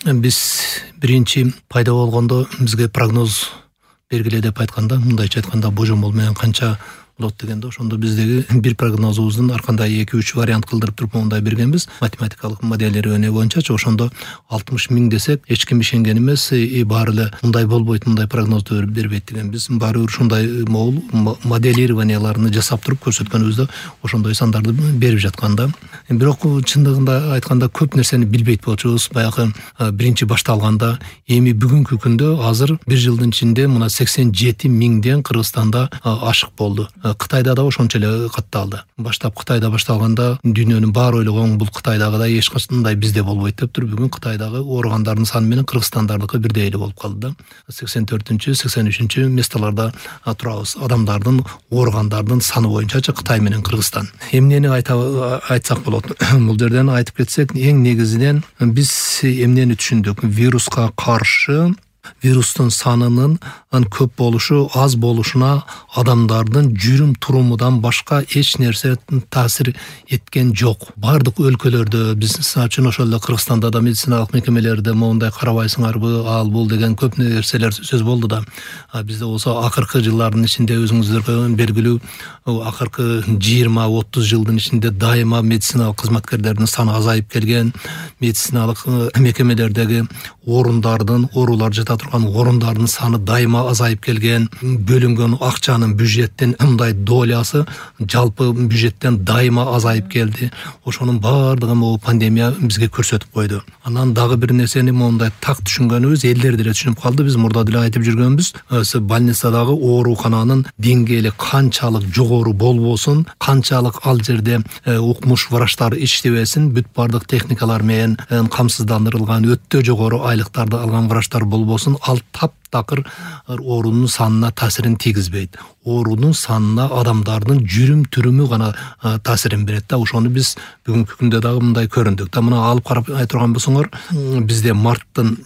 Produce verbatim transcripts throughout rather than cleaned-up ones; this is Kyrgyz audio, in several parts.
Биз биринчи пайда болгондо бизге прогноз бергиле деп айтканда, мындайча айтканда божомол менен канча болот дегенде, ошондо биздеги бир прогнозубуздун ар кандай эки үч вариант кылдырып туруп мондай бергенбиз. Математикалык моделирование боюнчачы ошондо алтымыш миң десек, эч ким ишенген эмес, и баары эле мындай болбойт, мындай прогнозду бербейт дегенбиз. Баары бир ушундай моделированияларды жасап туруп көрсөткөнүбүздө ошондой сандарды берип жатканда, бирок чындыгында айтканда көп нерсени билбейт болчубуз. Баягы биринчи башталганда, эми бүгүнкү күндө азыр бир жылдын ичинде мына сексен жети миңден Кыргызстанда ашык болду. Кытайда да ошончо эле катталды. Баштап Кытайда башталганда дүйнөнүн баары ойлогон бул Кытайдагыдай эч кандай бизде болбойт деп туруп, бүгүн Кытайдагы ооругандардын саны менен Кыргызстандардыкы бирдей эле болуп калды да. сексен төртүнчү, сексен үчүнчү местолордо турабыз. Адамдардын ооругандардын саны боюнчачы Кытай менен Кыргызстан. Эмнени айтсак болот? Бул жерден айтып кетсек, эң негизинен биз эмнени түшүндүк? Вируска каршы вирустун санынын көп болушу, аз болушуна адамдардын жүрүм турумудан башка эч нерсе таасир эткен жок. Бардык өлкөлөрдө, биз үчүн ошол эле Кыргызстанда да медициналык мекемелерде моундай карабайсыңарбы, ал бул деген көп нерселер сөз болду да. Бизде болсо акыркы жылдардын ичинде өзүңүздөргө белгилүү, акыркы жыйырма отуз жылдын ичинде дайыма медициналык кызматкерлердин саны азайып келген, медициналык мекемелердеги орундардын, оорулар жата турган орундардын саны дайыма азайып келген, бөлүнгөн акчанын бюджеттен мындай долясы жалпы бюджеттен дайыма азайып келди. Ошонун баардыгын бул пандемия бизге көрсөтүп койду. Анан дагы бир нерсени мондай так түшүнгөнүбүз, элдер деле түшүнүп калды. Биз мурда деле айтып жүргөнбүз, больницадагы оорукананын деңгээли канчалык жогору болбосун, канчалык ал жерде укмуш врачтар иштебесин, бүт бардык техникалар менен камсыздандырылган, өтө жогору айлыктарды алган врачтар болбосун, ал таптакыр оорунун санына таасирин тийгизбейт. Оорунун санына адамдардын жүрүм түрүмү гана таасирин берет да. Ошону биз бүгүнкү күндө дагы мындай көрүндүк да. Мына алып карап айтырган болсоңор, бизде марттын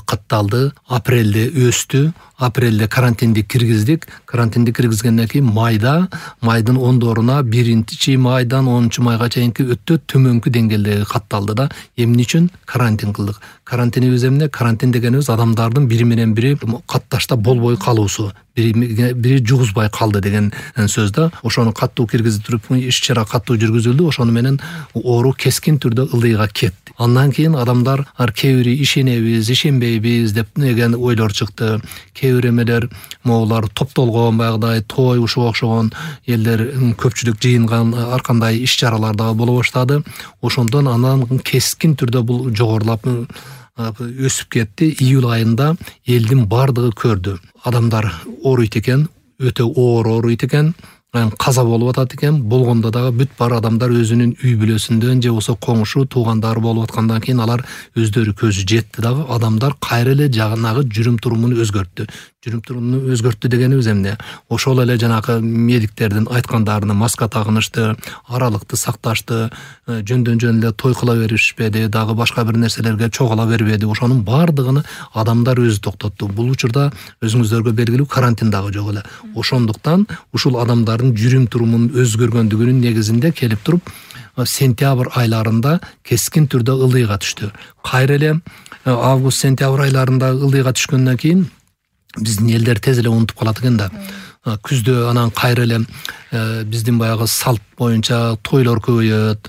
катталды, апрелде өстү, апрелде карантинди киргиздик. Карантинди киргизгенден кийин майда, майдын ондоруна биринчи майдан онунчу майга чейинки өтө төмөнкү деңгээлде катталды да. Эмне үчүн карантин кылдык? Карантинибиз эмне? Карантин дегенибиз адамдардын бири менен бири катташта болбой калуусу, бири бири жугузбай калды деген сөз да. Ошону каттуу киргизип туруп, иш-чара каттуу жүргүзүлдү. Ошону менен оору кескин түрдө ылдыйга кетти. Андан кийин адамдар кээ бири ишенебиз, ишенбейбиз деп деген ойлор чыкты. Кээ бир эмелер моулар топтолгон, баягыдай той ушуга окшогон элдер көпчүлүк жыйынган ар кандай иш-чаралар дагы боло баштады. Ошондон анан кескин түрдө бул жогорулап өсүп кетти. Июль айында элдин бардыгы көрдү. Адамдар ооруйт экен, өтө оор ооруйт экен, каза болуп атат экен. Болгондо дагы бүт бар адамдар өзүнүн үй бүлөсүндөн же болсо коңшу, туугандары болуп аткандан кийин алар өздөрү көзү жетти дагы адамдар кайра эле жагынагы жүрүм турумун өзгөрттү. Жүрүм турумун өзгөрттү дегенибиз эмне? Ошол эле жанагы медиктердин айткандарына маска тагынышты, аралыкты сакташты, жөндөн жөн эле той кыла беришпеди, дагы башка бир нерселерге чогула бербеди. Ошонун бардыгын адамдар өзү токтотту. Бул учурда өзүңүздөргө белгилүү карантин дагы жок эле. Ошондуктан ушул адамдардын жүрүм турумунун өзгөргөндүгүнүн негизинде келип туруп, сентябрь айларында кескин түрдө ылдыйга түштү. Кайра эле август-сентябрь айларында ылдыйга түшкөндөн кийин биздин элдер тез эле унутуп калат экен да. Күздө анан кайра эле биздин баягы салт боюнча тойлор көбөйөт.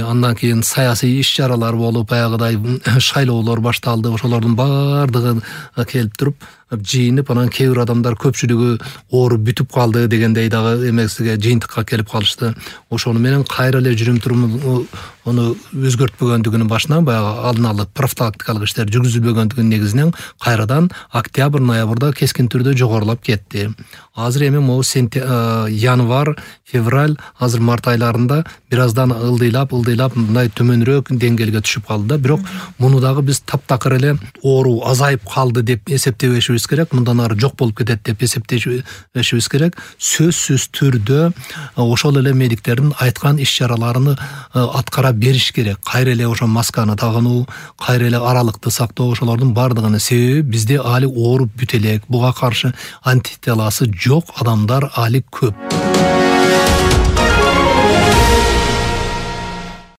Андан кийин саясий иш-чаралар болуп, баягыдай шайлоолор башталды. Ошолордун бардыгы келип туруп, жыйынып, анан кээ бир адамдар көпчүлүгү ооруп бүтүп калды дегендей дагы эмесиге, жыйынтыкка келип калышты. Ошону менен кайра эле жүрүм туруму ону өзгөртпөгөндүгүнүн башынан, баягы алдын ала профилактикалык иштер жүргүзүлбөгөндүгүнүн негизинен кайрадан октябрь, ноябрда кескин түрдө жогорулап кетти. Азыр эми могу январь, февраль, азыр март айларында бир аздан ылдыйлап, ылдыйлап мындай төмөнүрөөк деңгээлге түшүп калды да. Бирок муну дагы биз таптакыр эле оору азайып калды деп эсептебешибиз керек. Мындан ары жок болуп кетет деп эсептешибиз керек. Сөзсүз түрдө ошол эле медиктердин айткан иш-чараларын аткара бериш керек. Кайра эле ошо масканы тагынуу, кайра эле аралыкты сактоо, ошолордун бардыгынын себеби бизде али ооруп бүтө элек. Буга каршы антителасы жок адамдар али көп.